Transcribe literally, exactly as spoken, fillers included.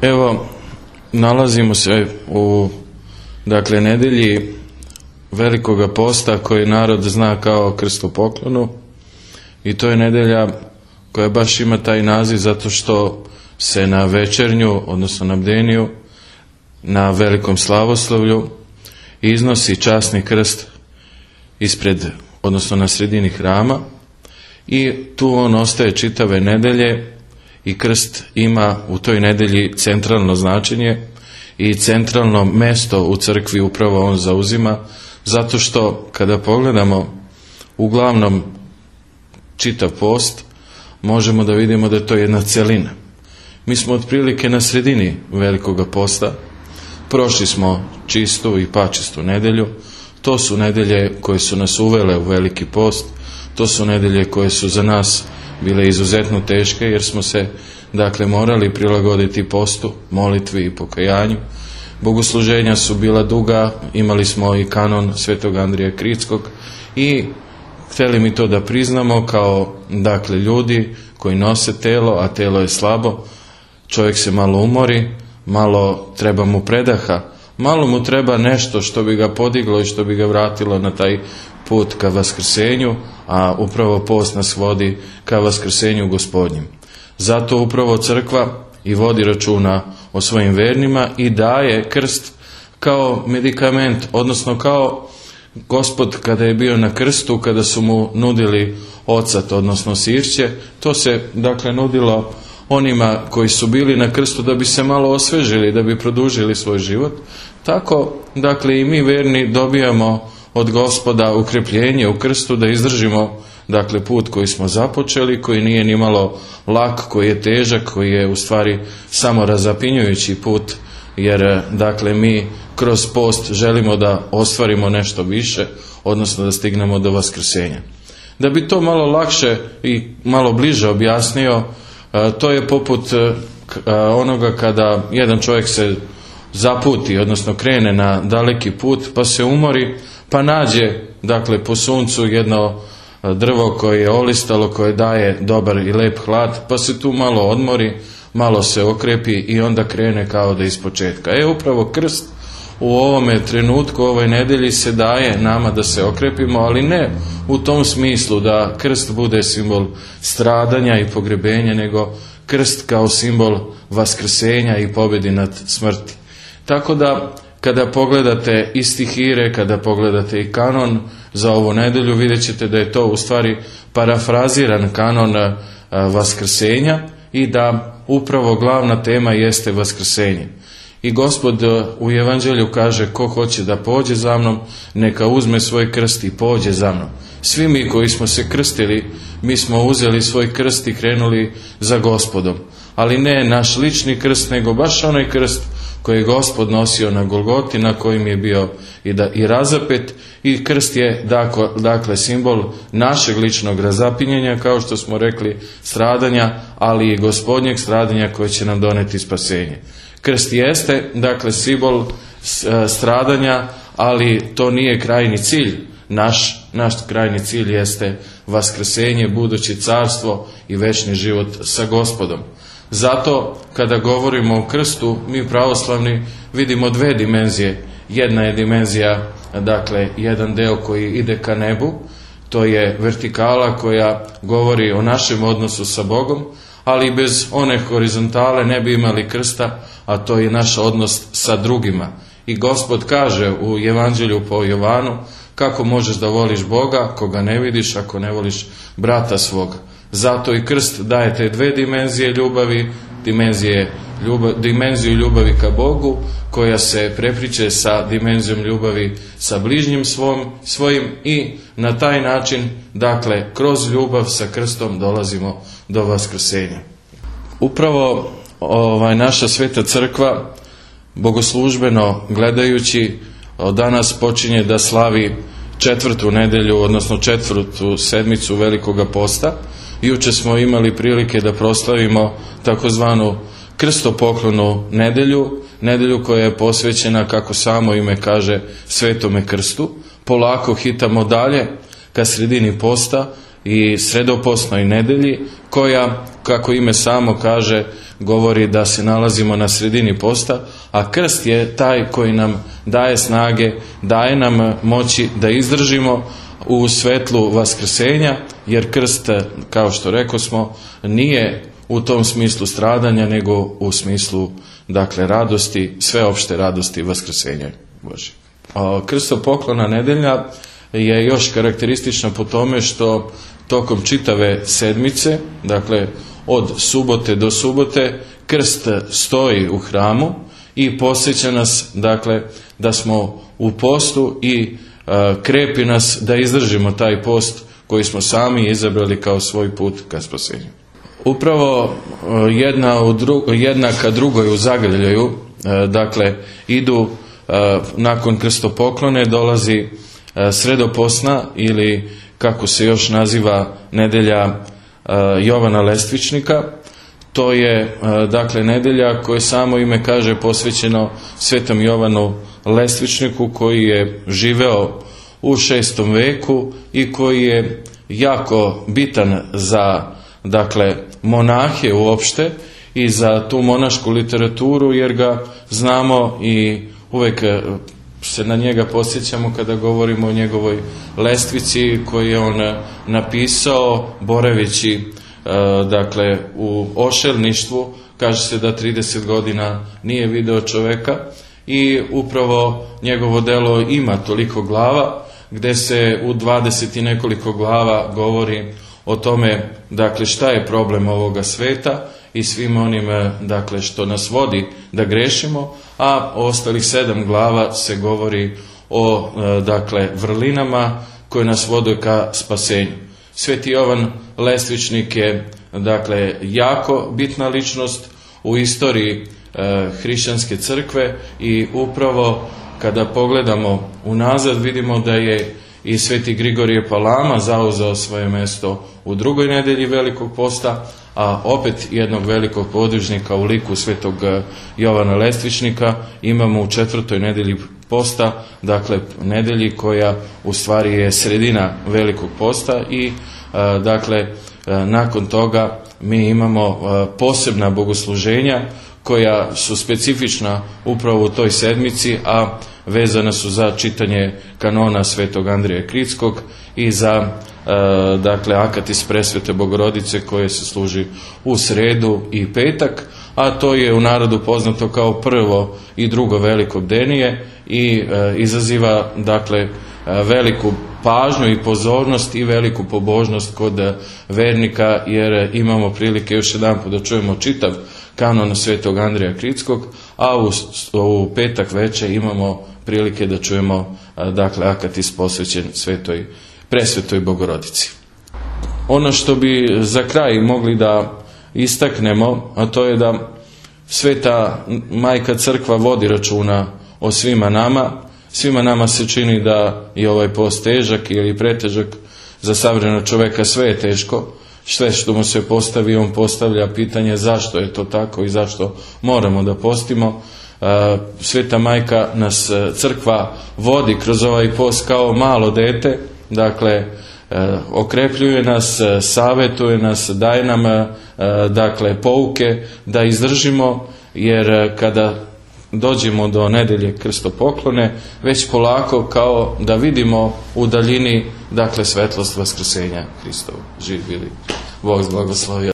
Evo, nalazimo se u, dakle, nedelji Velikoga posta koji narod zna kao krstopoklonu, i to je nedelja koja baš ima taj naziv zato što se na večernju, odnosno na bdeniju, na velikom slavoslavlju iznosi časni krst ispred, odnosno na sredini hrama, i tu on ostaje čitave nedelje, i krst ima u toj nedelji centralno značenje i centralno mesto u crkvi upravo on zauzima, zato što kada pogledamo uglavnom čitav post, možemo da vidimo da je to jedna celina. Mi smo otprilike na sredini Velikoga posta, prošli smo čistu i pačistu nedelju. To su nedelje koje su nas uvele u Veliki post, to su nedelje koje su za nas bile izuzetno teške, jer smo se, dakle, morali prilagoditi postu, molitvi i pokajanju. Bogosluženja su bila duga, imali smo i kanon Svetog Andrije Kritskog, i htjeli mi to da priznamo kao, dakle, ljudi koji nose telo, a telo je slabo, čovjek se malo umori, malo treba mu predaha, malo mu treba nešto što bi ga podiglo i što bi ga vratilo na taj put ka vaskrsenju, a upravo post nas vodi ka vaskrsenju Gospodnjem. Zato upravo crkva i vodi računa o svojim vernima i daje krst kao medikament, odnosno kao Gospod kada je bio na krstu, kada su mu nudili ocat, odnosno sirće, to se, dakle, nudilo onima koji su bili na krstu da bi se malo osvežili, da bi produžili svoj život. Tako, dakle, i mi verni dobijamo od Gospoda ukrepljenje u krstu da izdržimo, dakle, put koji smo započeli, koji nije ni malo lak, koji je težak, koji je u stvari samo razapinjujući put, jer, dakle, mi kroz post želimo da ostvarimo nešto više, odnosno da stignemo do vaskrsenja. Da bi to malo lakše i malo bliže objasnio, to je poput onoga kada jedan čovjek se zaputi, odnosno krene na daleki put, pa se umori, pa nađe, dakle, po suncu jedno drvo koje je olistalo, koje daje dobar i lep hlad, pa se tu malo odmori, malo se okrepi i onda krene kao da ispočetka. E, upravo krst u ovome trenutku, u ovoj nedelji se daje nama da se okrepimo, ali ne u tom smislu da krst bude simbol stradanja i pogrebenja, nego krst kao simbol vaskrsenja i pobjedi nad smrti. Tako da, kada pogledate i stihire, kada pogledate i kanon za ovu nedelju, vidjet ćete da je to u stvari parafraziran kanon vaskrsenja i da upravo glavna tema jeste vaskrsenje. I Gospod u Evanđelju kaže: ko hoće da pođe za mnom, neka uzme svoj krst i pođe za mnom. Svi mi koji smo se krstili, mi smo uzeli svoj krst i krenuli za Gospodom. Ali ne naš lični krst, nego baš onaj krst koji je Gospod nosio na Golgoti, na kojim je bio i, da, i razapet, i krst je, dakle, dakle, simbol našeg ličnog razapinjenja, kao što smo rekli, stradanja, ali i Gospodnjeg stradanja koje će nam doneti spasenje. Krst jeste, dakle, simbol stradanja, ali to nije krajni cilj. Naš, naš krajni cilj jeste vaskrsenje, budući carstvo i večni život sa Gospodom. Zato, kada govorimo o krstu, mi pravoslavni vidimo dve dimenzije. Jedna je dimenzija, dakle, jedan deo koji ide ka nebu, to je vertikala koja govori o našem odnosu sa Bogom, ali bez one horizontale ne bi imali krsta, a to je naš odnos sa drugima. I Gospod kaže u Evanđelju po Jovanu: kako možeš da voliš Boga koga ne vidiš ako ne voliš brata svoga. Zato i krst daje te dve dimenzije ljubavi, dimenzije ljubav, dimenziju ljubavi ka Bogu, koja se prepliće sa dimenzijom ljubavi sa bližnjim svom, svojim, i na taj način, dakle, kroz ljubav sa krstom dolazimo do vaskrsenja. Upravo ovaj, naša sveta crkva, bogoslužbeno gledajući, od danas počinje da slavi četvrtu nedelju, odnosno četvrtu sedmicu Velikoga posta. Juče smo imali prilike da proslavimo takozvanu krstopoklonu nedelju, nedelju koja je posvećena, kako samo ime kaže, Svetome krstu. Polako hitamo dalje ka sredini posta i sredopostnoj nedelji, koja, kako ime samo kaže, govori da se nalazimo na sredini posta, a krst je taj koji nam daje snage, daje nam moći da izdržimo u svetlu vaskrsenja, jer krst, kao što rekosmo, nije u tom smislu stradanja, nego u smislu, dakle, radosti, sveopšte radosti vaskrsenja Božje. Krstopoklona nedelja je još karakteristična po tome što tokom čitave sedmice, dakle od subote do subote, krst stoji u hramu i podsjeća nas, dakle, da smo u postu i a, krepi nas da izdržimo taj post koji smo sami izabrali kao svoj put ka spasenju. Upravo jedna u dru, jednaka drugoj u zagrljaju, a, dakle, idu a, nakon krstopoklone dolazi a, sredoposna ili kako se još naziva nedelja Jovana Lestvičnika. To je, dakle, nedelja koje samo ime kaže posvećeno svetom Jovanu Lestvičniku, koji je živeo u šestom veku i koji je jako bitan za, dakle, monahe uopšte i za tu monašku literaturu, jer ga znamo i uvek se na njega posjećamo kada govorimo o njegovoj lestvici koju je on napisao boraveći, dakle, u ošelništvu. Kaže se da trideset godina nije video čoveka i upravo njegovo delo ima toliko glava, gde se u dvadeset i nekoliko glava govori o tome, dakle, šta je problem ovoga sveta i svim onim, dakle, što nas vodi da grešimo, a ostalih sedam glava se govori o, dakle, vrlinama koje nas vode ka spasenju. Sveti Jovan Lestvičnik je, dakle, jako bitna ličnost u istoriji e, hrišćanske crkve i upravo kada pogledamo unazad vidimo da je i sveti Grigorije Palama zauzeo svoje mesto u drugoj nedelji Velikog posta, a opet jednog velikog podvižnika u liku svetog Jovana Lestvičnika imamo u četvrtoj nedelji posta, dakle nedelji koja u stvari je sredina Velikog posta i dakle nakon toga mi imamo posebna bogosluženja koja su specifična upravo u toj sedmici, a vezana su za čitanje kanona svetog Andrije Kritskog i za e, dakle akatis presvete Bogorodice koje se služi u sredu i petak, a to je u narodu poznato kao prvo i drugo veliko bdenije i e, izaziva, dakle, veliku pažnju i pozornost i veliku pobožnost kod vernika, jer imamo prilike još jedan put da čujemo čitav kanon svetog Andrija Kritskog, a u, u petak večer imamo prilike da čujemo, dakle, akatis posvećen svetoj, presvetoj Bogorodici. Ono što bi za kraj mogli da istaknemo, a to je da sveta majka crkva vodi računa o svima nama. Svima nama se čini da je ovaj post težak ili pretežak. Za savremenog čoveka sve je teško. Sve što mu se postavi, on postavlja pitanje zašto je to tako i zašto moramo da postimo. Sveta majka nas crkva vodi kroz ovaj post kao malo dete, dakle okrepljuje nas, savetuje nas, daje nam, dakle, pouke da izdržimo, jer kada dođemo do nedelje krstopoklone, već polako kao da vidimo u daljini, dakle, svetlost vaskrsenja Hristovu. Živ bili. Bog blagoslovio.